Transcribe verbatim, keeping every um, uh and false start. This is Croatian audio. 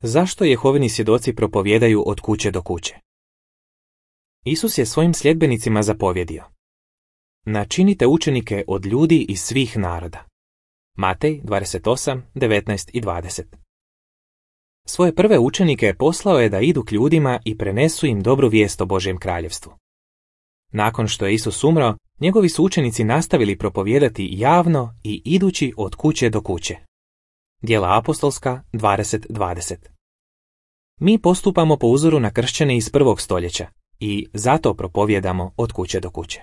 Zašto Jehovini svjedoci propovijedaju od kuće do kuće? Isus je svojim sljedbenicima zapovjedio: načinite učenike od ljudi iz svih naroda. Matej dvadeset osam, devetnaest i dvadeset. Svoje prve učenike poslao je da idu k ljudima i prenesu im dobru vijest o Božjem kraljevstvu. Nakon što je Isus umro, njegovi su učenici nastavili propovijedati javno i idući od kuće do kuće. Djela apostolska dvadeset dvadeset. Mi postupamo po uzoru na kršćane iz prvog stoljeća i zato propovijedamo od kuće do kuće.